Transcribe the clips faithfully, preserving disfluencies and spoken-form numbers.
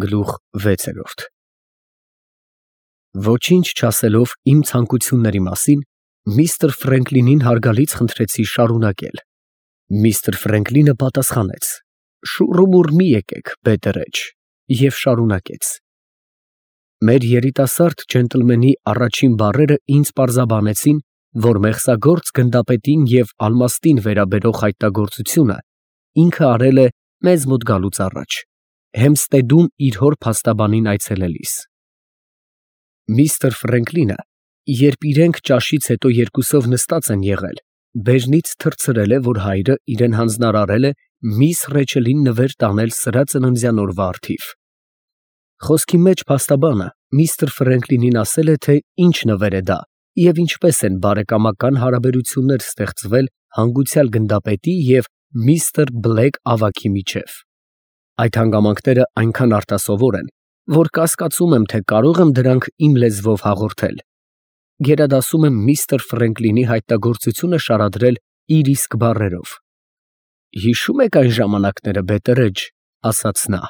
Գլուխ վեցերորդ Ոչինչ չասելով իմ ցանկությունների մասին, միստր Ֆրենկլինին հարգալից խնդրեցի շարունակել։ Միստր Ֆրենկլինը պատասխանեց. շուռումուռ մի եկեք, բետերեջ, և շարունակեց. Մեր երիտասարդ ջենտլմենի առաջին բառերը ինձ պարզաբանեցին, որ մեղսագործ գնդապետին և ալմաստին վերաբերող հայտնագործությունը ինքը արել է մեզ մոտ գալուց առաջ, Հեմստեդում իր հոր փաստաբանին այցելելիս։ Միստր Ֆրենկլինը, երբ իրենք ճաշից հետո երկուսով նստած են եղել, բեժնից թռցրել է, որ հայրը իրան հանձնարարել է միս Ռեչելին նվեր տանել սրա ծննդյան օրվա առթիվ։ Խոսքի մեջ փաստաբանը միստր Ֆրենկլինին ասել է, թե ինչ նվեր է դա և ինչպես են բարեկամական հարաբերություններ ստեղծվել հանգուցյալ գնդապետի և միստր Բլեկ ավագի միջև։ Այդ հանգամանքները այնքան արտասովոր են, որ կասկածում եմ, թե կարող եմ դրանք իմ լեզվով հաղորդել։ Գերադասում եմ միստր Ֆրենկլինի հայտնագործությունը շարադրել իր իսկ բառերով։ Հիշո՞ւմ եք այն ժամանակները, բետերեջ, ասաց նա,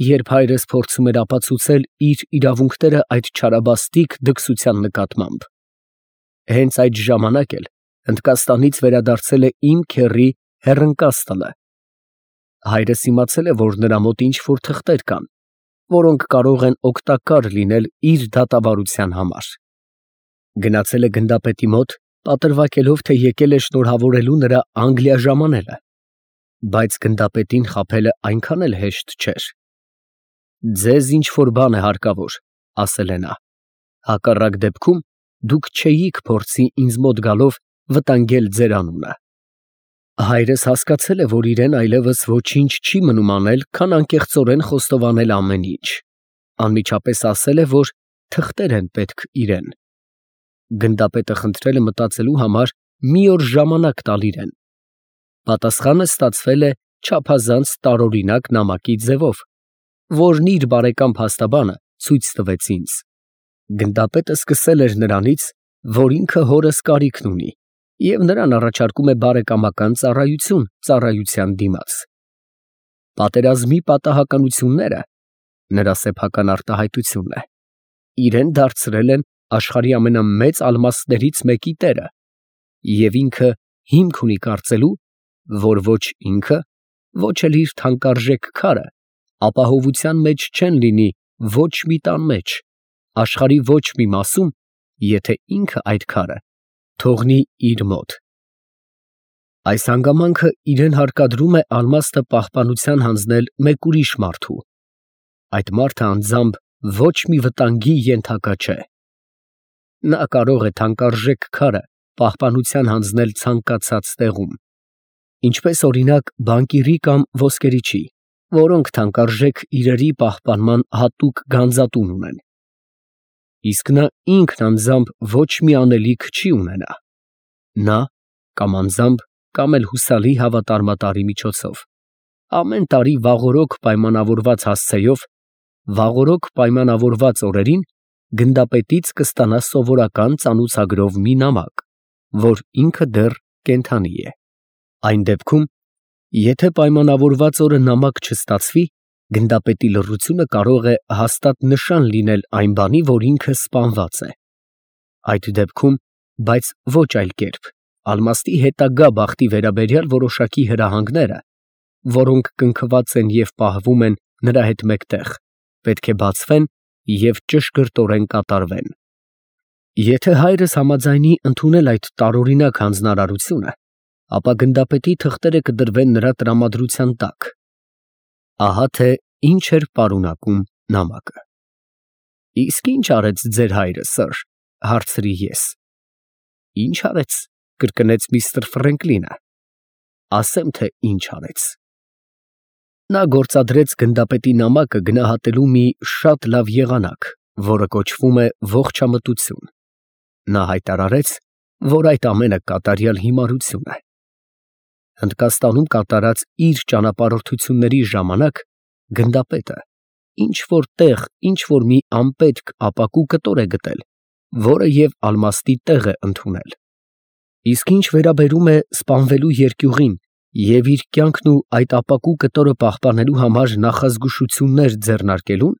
երբ հայրս փորձում էր ապացուցել իր իրավունքները այդ չարաբաստիկ դքսության նկատմամբ։ Հենց այդ ժամանակ էլ Հնդկաստանից վերադարձել է իմ քեռի Հեռընկաստլը։ Հայրս իմացել է, որ նրա մոտ ինչ֊որ թղթեր կան, որոնք կարող են օգտակար լինել իր դատավարության համար։ Գնացել է գնդապետի մոտ, պատրվակելով, թե եկել է շնորհավորելու նրա Անգլիա ժամանելը, բայց գնդապետին խաբելը այնքան էլ հեշտ չէր։ Ձեզ ինչ֊որ բան է հարկավոր, ասել է նա, հակառակ դեպքում դուք չէիք փորձի ինձ մոտ գալով վտանգել ձեր անունը։ Հայրս հասկացել է, որ իրեն այլևս ոչինչ չի մնում անել, քան անկեղծորեն խոստովանել ամեն ինչ, անմիջապես ասել է, որ թղթեր են պետք իրան։ Գնդապետը խնդրել է մտածելու համար մի օր ժամանակ տալ իրան։ Պատասխանը ստացվել է չափազանց տարօրինակ նամակի ձևով, որն իր բարեկամ փաստաբանը ցույց տվեց ինձ։ Գնդապետը սկսել էր նրանից, որ ինքը հորս կարիքն ունի և նրան առաջարկում է բարեկամական ծառայություն ծառայության դիմաց։ Պատերազմի պատահականությունները (նրա սեփական արտահայտությունն է) իրան դարձրել են աշխարհի ամենամեծ ալմաստներից մեկի տերը, և ինքը հիմք ունի կարծելու, որ ոչ ինքը, ոչ էլ իր թանկարժեք քարը ապահովության մեջ չեն լինի ոչ մի տան մեջ, աշխարհի ոչ մի մասում, եթե ինքը այդ քարը թողնի իր մոտ։ Այս հանգամանքը իրան հարկադրում է ալմաստը պահպանության հանձնել մեկ ուրիշ մարդու։ Այդ մարդը անձամբ ոչ մի վտանգի ենթակա չէ։ Նա կարող է թանկարժեք քարը պահպանության հանձնել ցանկացած տեղում, ինչպես օրինակ բանկիրի կամ ոսկերիչի, որոնք թանկարժեք իրերի պահպանման հատուկ գանձատուն ունեն։ Իսկ նա ինքն անձամբ ոչ մի անելիք չի ունենա։ Նա կամ անձամբ, կամ էլ հուսալի հավատարմատարի միջոցով ամեն տարի վաղօրոք պայմանավորված հասցեով, վաղօրոք պայմանավորված օրերին գնդապետից կստանա սովորական ծանուցագրով մի նամակ, որ ինքը դեռ կենդանի է։ Այն դեպքում, եթե պայմանավորված օրը նամակ չստացվի, գնդապետի լռությունը կարող է հաստատ նշան լինել այն բանի, որ ինքը սպանված է։ Այդ դեպքում, բայց ոչ այլ կերպ, ալմաստի հետագա բախտի վերաբերյալ որոշակի հրահանգները, որոնք կնքված են և պահվում են նրա հետ մեկտեղ, պետք է բացվեն և ճշգրտորեն կատարվեն։ Եթե հայրս համաձայնի ընդունել այդ տարօրինակ հանձնարարությունը, ապա գնդապետի թղթերը կդրվեն նրա տրամադրության տակ։ Ահա թե ինչ էր պարունակում նամակը։ Իսկ ի՞նչ արեց ձեր հայրը, սըր, հարցրի ես։ Ի՞նչ արեց, կրկնեց միստր Ֆրենկլինը։ Ասեմ, թե ինչ արեց։ Նա գործադրեց գնդապետի նամակը գնահատելու մի շատ լավ եղանակ, որը կոչվում է ողջամտություն։ Նա հայտարարեց, որ այդ ամենը կատարյալ հիմարություն է։ Հնդկաստանում կատարած իր ճանապարհորդությունների ժամանակ գնդապետը ինչ-որ տեղ ինչ-որ մի անպետք ապակու կտոր է գտել, որը և ալմաստի տեղ է ընդունել։ Իսկ ինչ վերաբերում է սպանվելու երկյուղին Եվ իր կյանքն ու այդ ապակու կտորը պահպանելու համար նախազգուշություններ ձեռնարկելուն,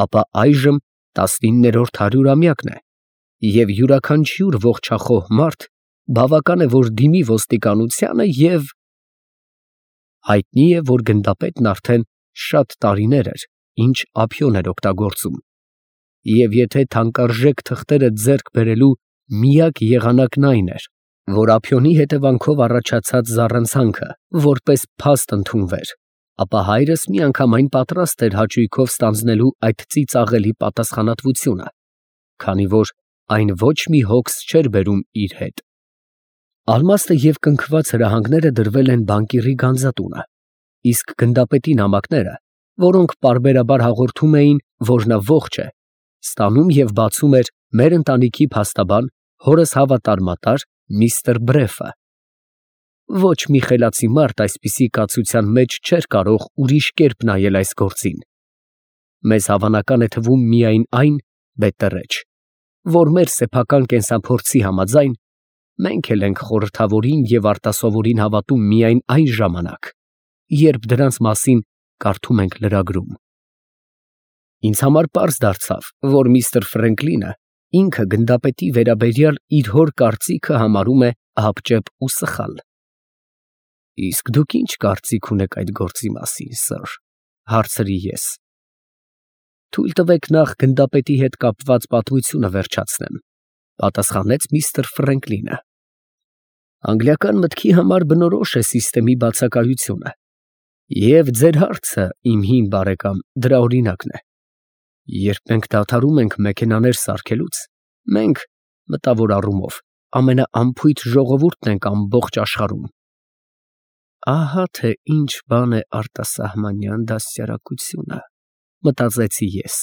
ապա այժմ տասնիններորդ հարյուրամյակն է, և յուրաքանչյուր ողջախոհ մարդ բավական է, որ դիմի ոստիկանությանը և… Հայտնի է, որ գնդապետն արդեն շատ տարիներ էր, ինչ ափիոն էր օգտագործում, և եթե թանկարժեք թղթերը ձեռք բերելու միակ եղանակն այն էր, որ ափիոնի հետևանքով առաջացած զառանցանքը որպես փաստ ընդունվեր, ապա հայրս միանգամայն պատրաստ էր հաճույքով ստանձնելու այդ ծիծաղելի պատասխանատվությունը, քանի որ այն ոչ մի հոգս չէր բերում իր հետ։ Ալմաստը և կնքված հրահանգները դրվել են բանկիրի գանձատունը, իսկ գնդապետի նամակները, որոնք պարբերաբար հաղորդում էին, որ նա ողջ է, ստանում և բացում էր մեր ընտանիքի փաստաբան, հորս հավատարմատար միստր Բրեֆը։ Ոչ մի խելացի մարդ այսպիսի կացության մեջ չէր կարող ուրիշ կերպ նայել այս գործին։ Մեզ հավանական է թվում միայն այն, բետեռեջ, որ մեր սեփական կենսափորձի համաձայն, մենք էլ ենք խորհրդավորին և արտասովորին հավատում միայն այն ժամանակ, երբ դրանց մասին կարդում ենք լրագրում։ Ինձ համար պարզ դարձավ, որ միստր Ֆրենկլինը ինքը գնդապետի վերաբերյալ իր հոր կարծիքը համարում է ահաբճեպ ու սխալ։ Իսկ դուք ի՞նչ կարծիք ունեք այդ գործի մասին, սըր, ֊ հարցրի ես։ Թույլ տվեք նախ գնդապետի հետ կապված պատմությունը վերջացնեմ, ֊ պատասխանեց միստր Ֆրենկլինը։ Անգլիական մտքի համար բնորոշ է սիստեմի բացակայությունը, և ձեր հարցը, իմ հին բարեկամ, դրա օրինակն է։ Երբ մենք դադարում ենք մեքենաներ սարքելուց, մենք, մտավոր առումով, ամենաանփույթ ժողովուրդն ենք ամբողջ աշխարհում։ Ահա թե ինչ բան է արտասահմանյան դաստիարակությունը, մտածեցի ես։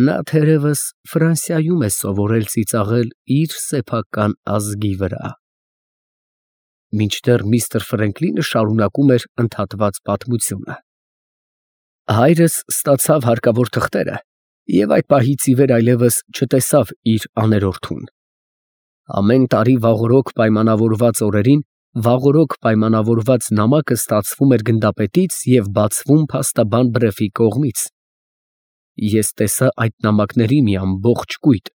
Նա թերևս Ֆրանսիայում է սովորել ծիծաղել իր սեփական ազգի վրա։ Մինչդեռ միստր Ֆրենկլինը շարունակում էր ընդհատված պատմությունը։ Հայրս ստացավ հարկավոր թղթերը և այդ պահից ի վեր այլևս չտեսավ իր աներորդուն։ Ամեն տարի վաղօրոք պայմանավորված օրերին վաղօրոք պայմանավորված նամակը ստացվում էր գնդապետից և բացվում փաստաբան Բրեֆի կողմից։ Ես տեսա այդ նամակների մի ամբողջ կույտ։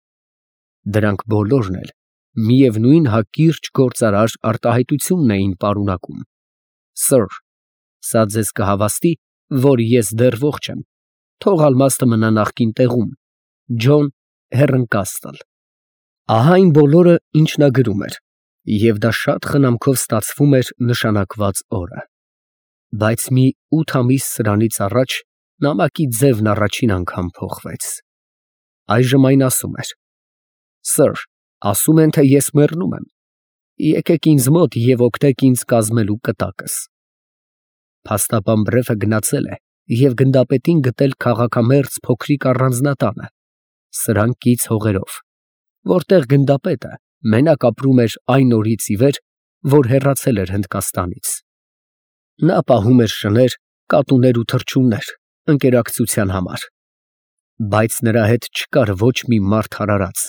Դրանք բոլորն էլ միևնույն հակիրճ գործարար արտահայտությունն էին պարունակում. Սըր, սա ձեզ կհավաստի, որ ես դեռ ողջ եմ, թող ալմաստը մնա նախկին տեղում, Ջոն Հեռընկաստլ։ Ահա այն բոլորը, ինչ նա գրում էր, և դա շատ խնամքով ստացվում էր նշանակված օրը։ Բայց մի ութ ամիս սրանից առաջ նամակի ձևն առաջին անգամ փոխվեց։ Այժմ այն ասում էր. Սըր, ասում են, թե ես մեռնում եմ, եկեք ինձ մոտ և օգնեք ինձ կազմելու կտակս։ Փաստաբան Բրեֆը գնացել է և գնդապետին գտել քաղաքամերձ փոքրիկ առանձնատանը, սրան կից հողերով, որտեղ գնդապետը մենակ ապրում էր այն օրից ի վեր, որ հեռացել էր Հնդկաստանից։ Նա պահում էր շներ, կատուներ ու թռչուններ ընկերակցության համար, բայց նրա հետ չկար ոչ մի մարդ հարարած,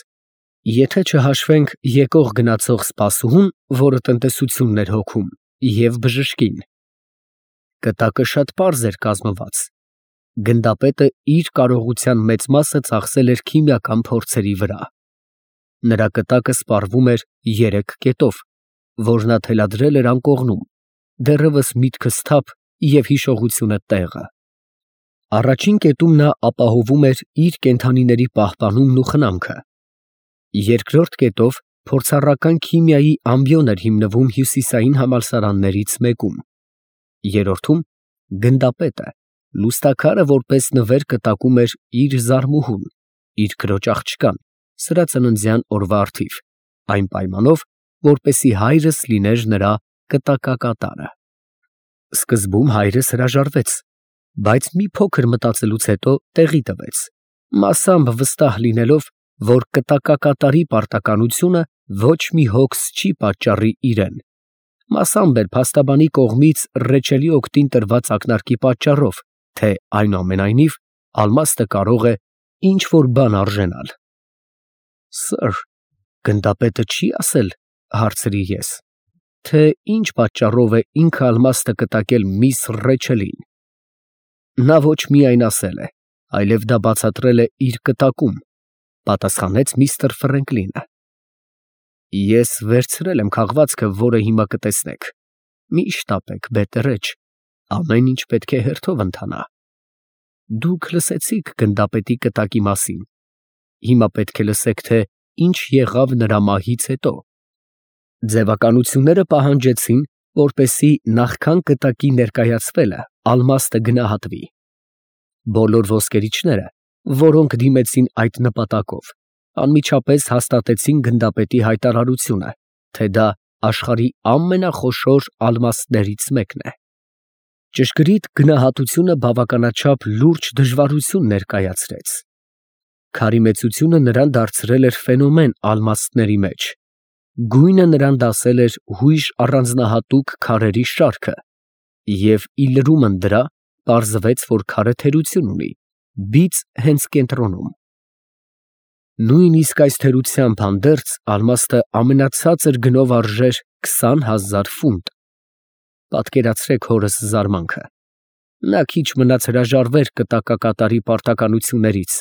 եթե չհաշվենք եկող գնացող սպասուհուն, որը տնտեսությունն էր հոգում, և բժշկին։ Կտակը շատ պարզ էր կազմված։ Գնդապետը իր կարողության մեծ մասը ծախսել էր քիմիական փորձերի վրա։ Նրա կտակը սպառվում էր երեք կետով, որ նա թելադրել էր անկողնում, դեռևս միտքը սթափ և հիշողությունը տեղը։ Առաջին կետում նա ապահովում էր իր կենդանիների պահպանումն ու խնամքը։ Երկրորդ կետով փորձառական քիմիայի ամբիոն էր հիմնվում հյուսիսային համալսարաններից մեկում։ Երրորդում գնդապետը, լուստաքարը որպես նվեր կտակում էր իր զարմուհուն, իր քրոջ աղջկան, սրա ծննդյան օրվա առթիվ, այն պայմանով, որպեսզի հայրս լիներ նրա կտակակատարը։ Սկզբում հայրս հրաժարվեց, բայց մի փոքր մտածելուց հետո տեղի տվեց, մասամբ վստահ լինելով, որ կտակակատարի պարտականությունը ոչ մի հոգս չի պատճառի իրեն, մասամբ էլ փաստաբանի կողմից ռեչելի օգտին տրված ակնարկի պատճառով, թե այնուամենայնիվ ալմաստը կարող է ինչ֊որ բան արժանալ։ Սըր, գնդապետը չի ասել, ֊ հարցրի ես, թե ինչ պատճառով է ինքը ալմաստը կտակել միս Ռեչելին։ Նա ոչ միայն ասել է, այլև դա բացատրել է իր կտակում, պատասխանեց միստր Ֆրենկլինը։ Ես վերցրել եմ քաղվածքը, որը հիմա կտեսնեք։ Մի շտապեք, բետերեջ, ամեն ինչ պետք է հերթով ընթանա։ Դուք լսեցիք գնդապետի կտակի մասին, հիմա պետք է լսեք, թե ինչ եղավ նրա մահից հետո։ Ձևականությունները պահանջեցին, որպեսզի նախքան կտակի ներկայացվելը ալմաստը գնահատվի։ Բոլոր ոսկերիչները, որոնք դիմեցին այդ նպատակով, անմիջապես հաստատեցին գնդապետի հայտարարությունը, թե դա աշխարհի ամենախոշոր ալմաստներից մեկն է։ Ճշգրիտ գնահատությունը բավականաչափ լուրջ դժվարություն ներկայացրեց։ Քարի մեծությունը նրան դարձրել էր ֆենոմեն ալմաստների մեջ, գույնը նրան դասել էր հույժ առանձնահատուկ քարերի շարքը, և ի լրումն դրա պարզվեց, որ քարը թերություն ունի, բիծ հենց կենտրոնում։ Նույնիսկ այս թերությամբ հանդերձ ալմաստը ամենացածր գնով արժեր քսան հազար ֆունտ։ Պատկերացրեք հորս զարմանքը։ Նա քիչ մնաց հրաժարվեր կտակակատարի պարտականություններից,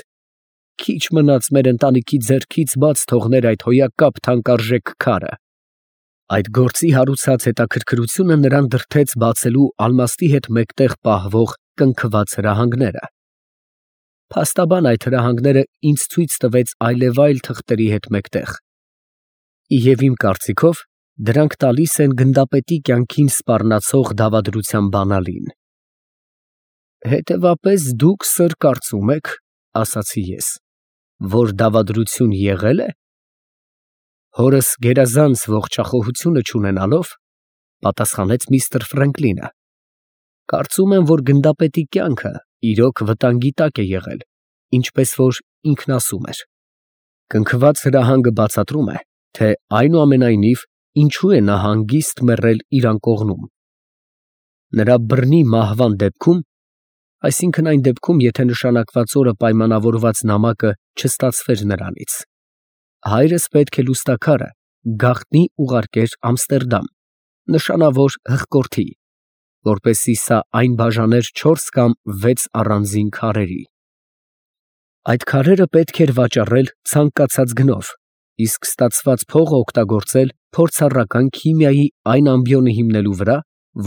քիչ մնաց մեր ընտանիքի ձեռքից բաց թողներ այդ հոյակապ թանկարժեք քարը։ Այդ գործի հարուցած հետաքրքրությունը նրան դրդեց բացելու ալմաստի հետ մեկտեղ պահվող կնքված հրահանգները։ Փաստաբան այդ հրահանգները ինձ ցույց տվեց այլևայլ թղթերի հետ մեկտեղ, և իմ կարծիքով դրանք տալիս են գնդապետի կյանքին սպառնացող դավադրության բանալին։ Հետևաբար դուք, սըր, կարծում եք, ասացի ես, որ դավադրություն եղել է։ Հորս գերազանց ողջախոհությունը չունենալով, պատասխանեց միստր Ֆրենկլինը, կարծում եմ, որ գնդապետի կյանքը իրոք վտանգի տակ է եղել, ինչպես որ ինքն ասում էր։ Կնքված հրահանգը բացատրում է, թե այնուամենայնիվ ինչու է նա հանգիստ մեռել իր անկողնում։ Նրա բռնի մահվան դեպքում, այսինքն այն դեպքում, եթե նշանակված օրը պայմանավորված նամակը չստացվեր նրանից, հայրս պետք է լուստաքարը գաղտնի ուղարկեր Ամստերդամ, նշանավոր հղկորդի, որպեսզի սա այն բաժաներ չորս կամ վեց առանձին քարերի։ Այդ քարերը պետք էր վաճառել ցանկացած գնով, իսկ ստացված փողը օգտագործել փորձառական քիմիայի այն ամբիոնը հիմնելու վրա,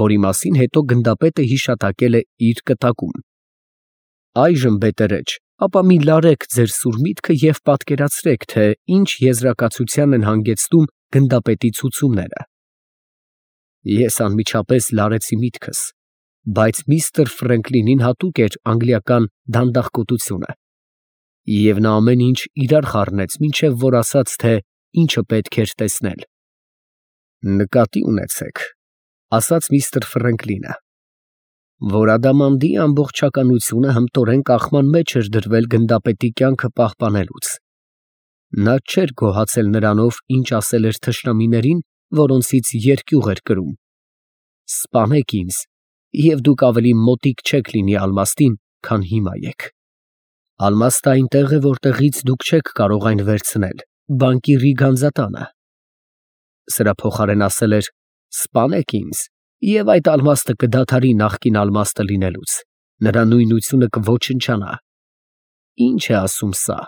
որի մասին հետո գնդապետը հիշատակել է իր կտակում։ Այժմ, բետերեջ, ապա մի լարեք ձեր սուր միտքը և պատկերացրեք, թե ինչ եզրակացության են հանգեցնում գնդապետի ցուցումները։ Ես անմիջապես լարեցի միտքս, բայց միստր Ֆրենկլինին հատուկ էր անգլիական դանդաղկոտությունը, և նա ամեն ինչ իրար խառնեց, մինչև որ ասաց, թե ինչը պետք էր տեսնել։ Նկատի ունեցեք, ասաց միստր Ֆրենկլինը, որ Ադամանդի ամբողջականությունը հմտորեն կախման մեջ էր դրվել գնդապետի կյանքը պահպանելուց։ Նա չէր գոհացել նրանով, ինչ ասել էր թշնամիներին, որոնցից երկյուղ էր կրում։ Սպանեք ինձ, և դուք ավելի մոտիկ չեք լինի ալմաստին, քան հիմա եք։ Ալմաստը այնտեղ է, որտեղից դուք չեք կարող այն վերցնել, բանկիրի գանձատանը։ Սրա փոխարեն ասել էր. սպանեք ինձ, և այդ ալմաստը կդադարի նախկին ալմաստը լինելուց, նրա նույնությունը կոչնչանա։ Ինչ է ասում սա։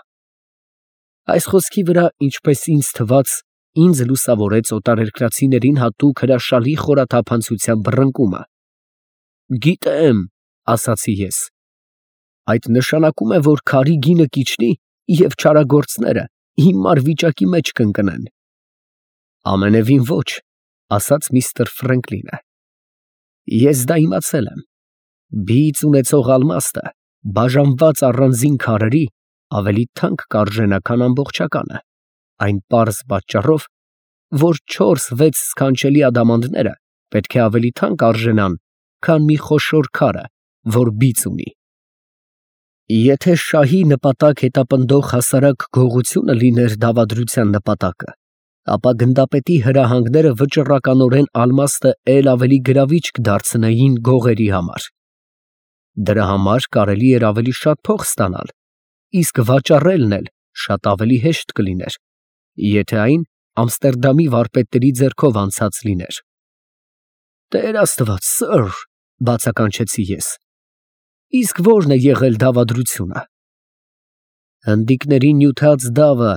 Այս խոսքի վրա, ինչպես ինձ թվաց, ինձ լուսավորեց օտարերկրացիներին հատուկ հրաշալի խորաթափանցության բռնկումը։ Գիտեմ, ասացի ես, այդ նշանակում է, որ քարի գինը կիջնի և չարագործները հիմար վիճակի մեջ կընկնեն։ Ամենևին ոչ, ասաց միստր Ֆրենկլինը։ Ես դա իմացել եմ։ Բիծ ունեցող ալմաստը, բաժանված առանձին քարերի, ավելի թանկ կարժենա, քան ամբողջականը, այն պարզ պատճառով, որ չորս֊վեց սքանչելի ադամանդները պետք է ավելի թանկ արժենան, քան մի խոշոր քարը, որ բիծ ունի։ Եթե շահի նպատակ հետապնդող հասարակ գողությունը լիներ դավադրության նպատակը, ապա գնդապետի հրահանգները վճռականորեն ալմաստը էլ ավելի գրավիչ կդարձնեին գողերի համար։ Դրա համար կարելի էր ավելի շատ փող ստանալ, իսկ վաճառելն էլ շատ ավելի հեշտ կլիներ, եթե այն Ամստերդամի վարպետների ձեռքով անցած լիներ։ Տեր Աստված, սըր, բացականչեցի ես։ Իսկ ո՞րն է եղել դավադրությունը։ Հնդիկների նյութած դավը,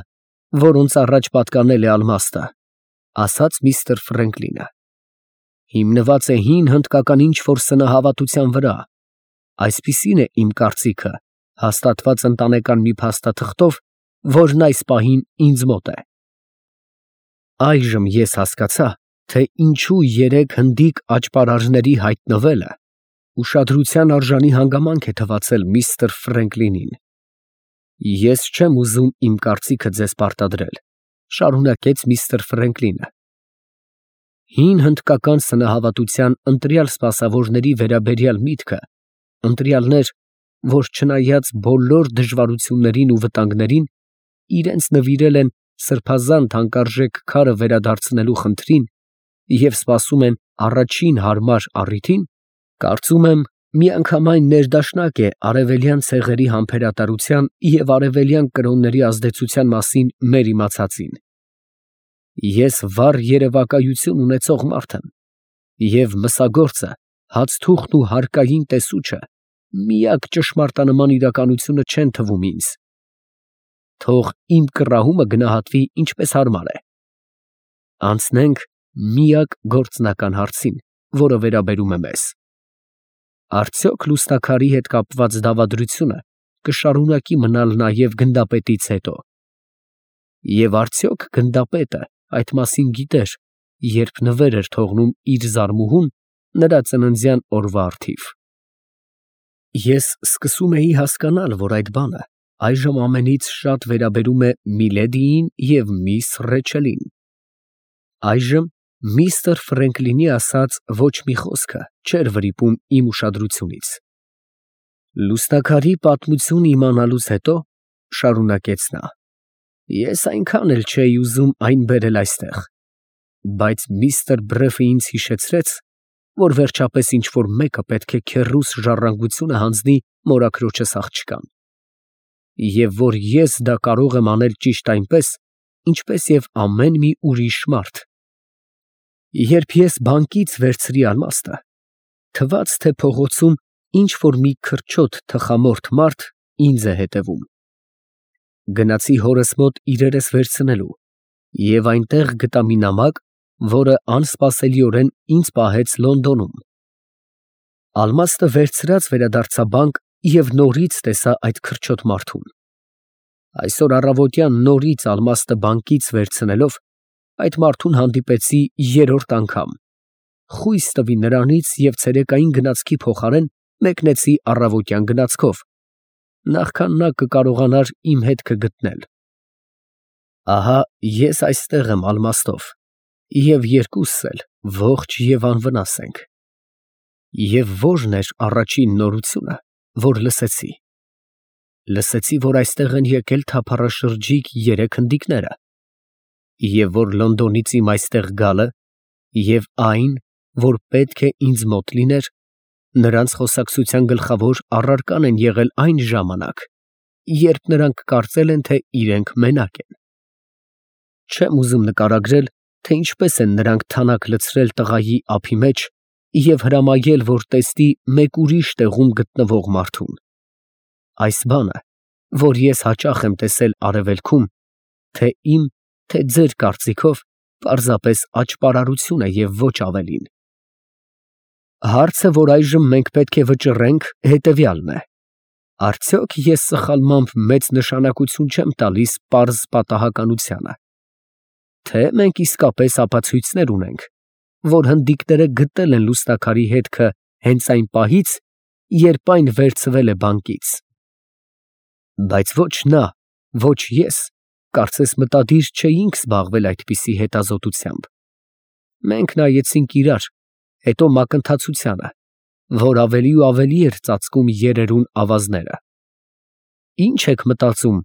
որոնց առաջ պատկանել է ալմաստը, ասաց միստր Ֆրենկլինը, հիմնված է հին հնդկական ինչ-որ սնահավատության վրա, այսպիսին է իմ կարծիքը, հաստատված ընտանեկան մի փաստաթղթով, որն այս պահին ինձ մոտ է։ Այժմ ես հասկացա, թե ինչու երեք հնդիկ աճպարարների հայտնվելը ուշադրության արժանի հանգամանք է թվացել միստր Ֆրենկլինին։ Ես չեմ ուզում իմ կարծիքը ձեզ պարտադրել, շարունակեց միստր Ֆրենկլինը։ Հին հնդկական սնահավատության ընտրյալ սպասավորների վերաբերյալ միտքը, ընտրյալներ, որ չնայած բոլոր դժվարություններին ու վտանգներին, իրենց նվիրել են սրբազան թանկարժեք քարը վերադարձնելու խնդրին և սպասում են առաջին հարմար առիթին, կարծում եմ, միանգամայն ներդաշնակ է արևելյան ցեղերի համբերատարության և արևելյան կրոնների ազդեցության մասին մեր իմացածին։ Ես վառ երևակայություն ունեցող մարդ եմ, և մսագործը, հացթուղթն ու հարկային տեսուչը միակ ճշմարտանման իրականությունը չեն թվում ինձ։ Թող իմ կռահումը գնահատվի ինչպես հարմար է։ Անցնենք միակ գործնական հարցին, որը վերաբերում է մեզ. արդյոք լուսնաքարի հետ կապված դավադրությունը կշարունակի մնալ նաև գնդապետից հետո, և արդյոք գնդապետը այդ մասին գիտեր, երբ նվեր էր թողնում իր զարմուհուն նրա ծննդյան օրվա առթիվ։ Ես սկսում էի հասկանալ, որ այդ բանը այժմ ամենից շատ վերաբերում է միլեդիին և միս Ռեչելին։ Այժմ միստր Ֆրենկլինի ասած ոչ մի խոսքը չէր վրիպում իմ ուշադրությունից։ Լուսնաքարի պատմությունը իմանալուց հետո, շարունակեց նա, ես այնքան էլ չէի ուզում այն բերել այստեղ, բայց միստր Բրեֆը ինձ հիշեցրեց, որ վերջապես ինչ֊որ մեկը պետք է քեռուս ժառանգությունը հանձնի մորաքրոջս աղջկան, և որ ես դա կարող եմ անել ճիշտ այնպես, ինչպես և ամեն մի ուրիշ մարդ։ Երբ ես բանկից վերցրի ալմաստը, թվաց, թե փողոցում ինչ֊որ մի քրչոտ թխամորթ մարդ ինձ է հետևում։ Գնացի հորս մոտ իրերս վերցնելու և այնտեղ գտա մի նամակ, որը անսպասելիորեն ինձ պահեց Լոնդոնում։ Ալմաստը վերցրած վերադարձա բանկ և նորից տեսա այդ քրչոտ մարդուն։ Այսօր առավոտյան նորից ալմաստը բանկից վերցնելով, այդ մարդուն հանդիպեցի երրորդ անգամ, խույս տվի նրանից և ցերեկային գնացքի փոխարեն մեկնեցի առավոտյան գնացքով, նախքան նա կկարողանար իմ հետքը գտնել։ Ահա ես այստեղ եմ ալմաստով, և երկուսս էլ ողջ և անվնաս ենք։ Եվ ո՞րն էր առաջին նորությունը, որ լսեցի։ Լսեցի, որ այստեղ են եկել թափառաշրջիկ երեք հնդիկները, և որ Լոնդոնից իմ այստեղ գալը և այն, որ պետք է ինձ մոտ լիներ, նրանց խոսակցության գլխավոր առարկան են եղել այն ժամանակ, երբ նրանք կարծել են, թե իրենք մենակ են։ Չեմ ուզում նկարագրել, թե ինչպես են նրանք թանաք լցրել տղայի ափի մեջ և հրամայել, որ տեսնի մեկ ուրիշ տեղում գտնվող մարդուն։ Այս բանը, որ ես հաճախ եմ տեսել արևելքում, թե իմ, թե ձեր կարծիքով, պարզապես աճպարարություն է և ոչ ավելին։ Հարցը, որ այժմ մենք պետք է վճռենք, հետևյալն է. արդյոք ես սխալմամբ մեծ նշանակություն չեմ տալիս պարզ պատահականությանը, թե մենք իսկապես ապացույցներ ունենք, որ հնդիկները գտել են լուսնաքարի հետքը հենց այն պահից, երբ այն վերցվել է բանկից։ Բայց ոչ նա, ոչ ես, կարծես մտադիր չէինք զբաղվել այդպիսի հետազոտությամբ։ Մենք նայեցինք իրար, հետո մակընթացությանը, որ ավելի ու ավելի էր ծածկում երերուն ավազները։ Ի՞նչ եք մտածում,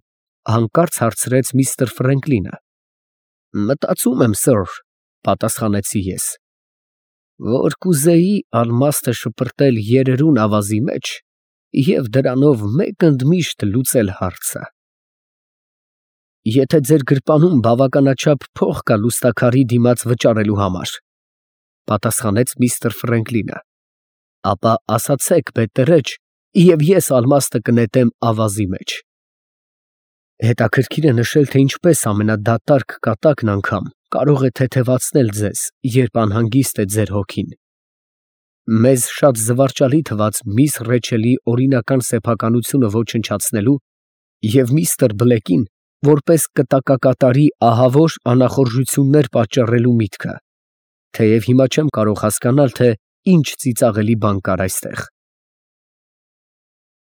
հանկարծ հարցրեց միստր Ֆրենկլինը։ Մտածում եմ, սըր, պատասխանեցի ես, որ կուզեի ալմաստը շպրտել երերուն ավազի մեջ և դրանով մեկ ընդմիշտ լուծել հարցը։ Եթե ձեր գրպանում բավականաչափ փող կա լուսնաքարի դիմաց վճարելու համար, Պատասխանեց միստր Ֆրենկլինը։ Ապա ասացեք, բետտերեջ, և ես ալմաստը կնետեմ ավազի մեջ։ Հետաքրքիր է նշել, թե ինչպես ամենադատարկ կատակն անգամ կարող է թեթևացնել ձեզ, երբ անհանգիստ է ձեր հոգին։ Մեզ շատ զվարճալի թվաց միս Ռեչելի օրինական սեփականությունը ոչնչացնելու և միստր Բլեկին որպես կտակակատարի ահավոր անախորժություններ պատճառելու միտքը, թեև հիմա չեմ կարող հասկանալ, թե ինչ ծիծաղելի բան կար այստեղ։